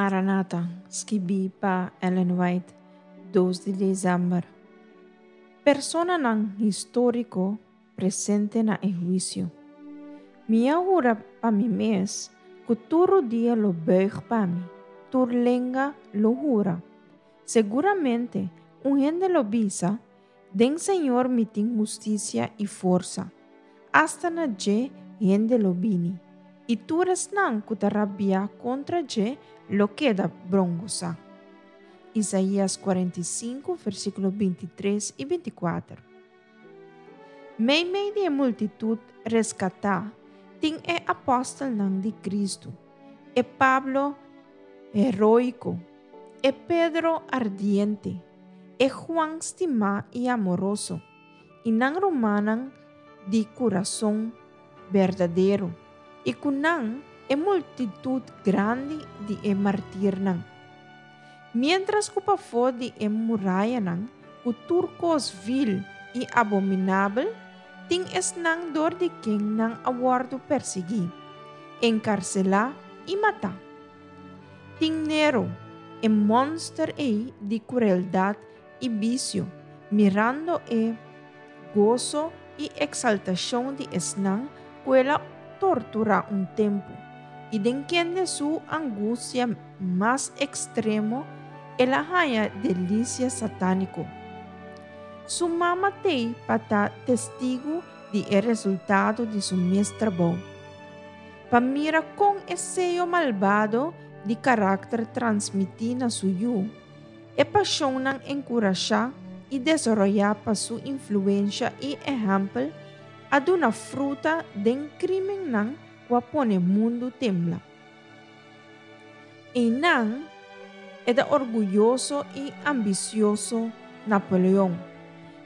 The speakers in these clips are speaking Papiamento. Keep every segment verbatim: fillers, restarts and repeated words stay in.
Maranata, skibí pa Ellen White, dos di desèmber. Personanan históriko presente na e huisio. Mi a hura pa mi mes ku tur rudia lo buig pa mi, tur lenga lo hura. Seguramente un hende lo bisa, Den Señor mi tin hustisia i forsa. Asta na dje hende lo bini, i tur esnan ku ta rabia kontra dje lo keda brongosá. Isaías kuarenta i sinku, versíkulo binti tres i binti kuater. Meimei di e multitut reskatá tin e apòstelnan di Kristu, e Pablo heroiko, e Pedro ardiente, e Juan stimá i amoroso, i nan rumannan di kurason berdadero, i ku nan e multitut grandi di e martirnan. Miéntras ku pafó di e murayanan ku tur kos vil i abominabel, tin esnan dor di ken nan a wòrdu persiguí, enkarselá i matá. Tin Nero, e mònster ei di krueldat i bisio, mirando e goso i eksaltashon di esnan ku el a torturá un tempu, i den kende su angustia mas ekstremo el a haña delisia satániko. Su mama t'ei pa ta testigu di e resultado di su mes trabou, pa mira kon e seyo malbado di karakter transmití na su yu, e pashonnan enkurashá i desaroyá pa su influensha i ehèmpel a duna fruta den krímennan ku a pone mundu tembla. Einan e ta orguyoso i ambisioso Napoleon,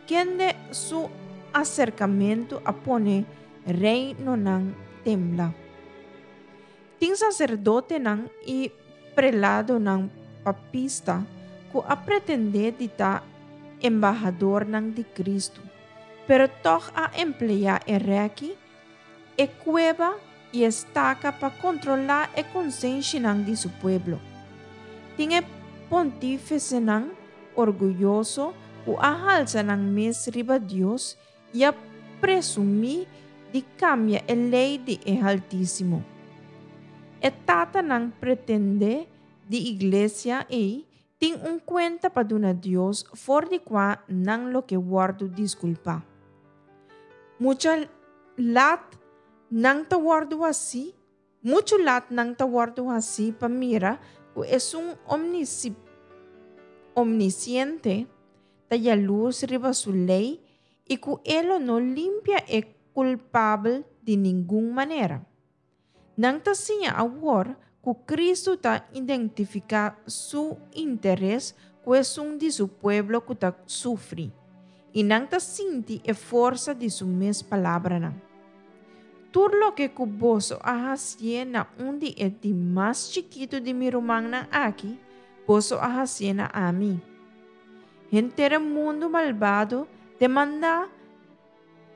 kende su aserkamentu a pone reinonan tembla. Tin saserdotenan i preladonan papista ku a pretendé di ta embahadornan di Kristu, pero tòg a empleá e rèki, e kueba i e staka pa kontrolá e konsenshinan di su pueblo. Tin e pontífisenan orguyoso ku a halsa nan mes riba Dios i a presumí di kambia e lei di e Haltísimo. E tatanan pretendé di iglesia ei tin un kuenta pa duna Dios for di kua nan lo ke wòrdu diskulpá. Mucha lat nan ta wòrdu hasí, muchu lat nan ta wòrdu hasí pa mira ku esun omnisiente ta yalurs riba su lei i ku e lo no limpia e kulpabel di ningun manera. Nan ta siña awor ku Kristu ta identifiká su interes ku esun di su pueblo ku ta sufri, i nan ta sinti e forsa di su mes palabranan. Tur loke ku boso a hasié na un di e di mas chikitu di mi rumannan aki, boso a hasié na ami. Henter e mundu malbado demandá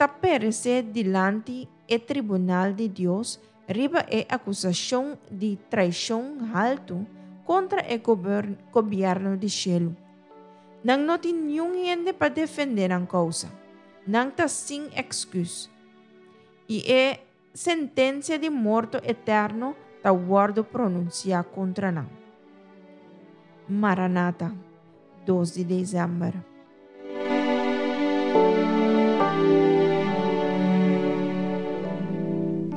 ta peresé dilanti e tribunal di Dios riba e akusashon di traishon haltu kontra e gobièrnu di shelu. Nan no tin niun hende pa defendé nan kousa. Nan ta sin èksküs. I e sentensia di morto eterno ta wòrdu pronunsiá kontra nan. Maranata, dos di desèmber.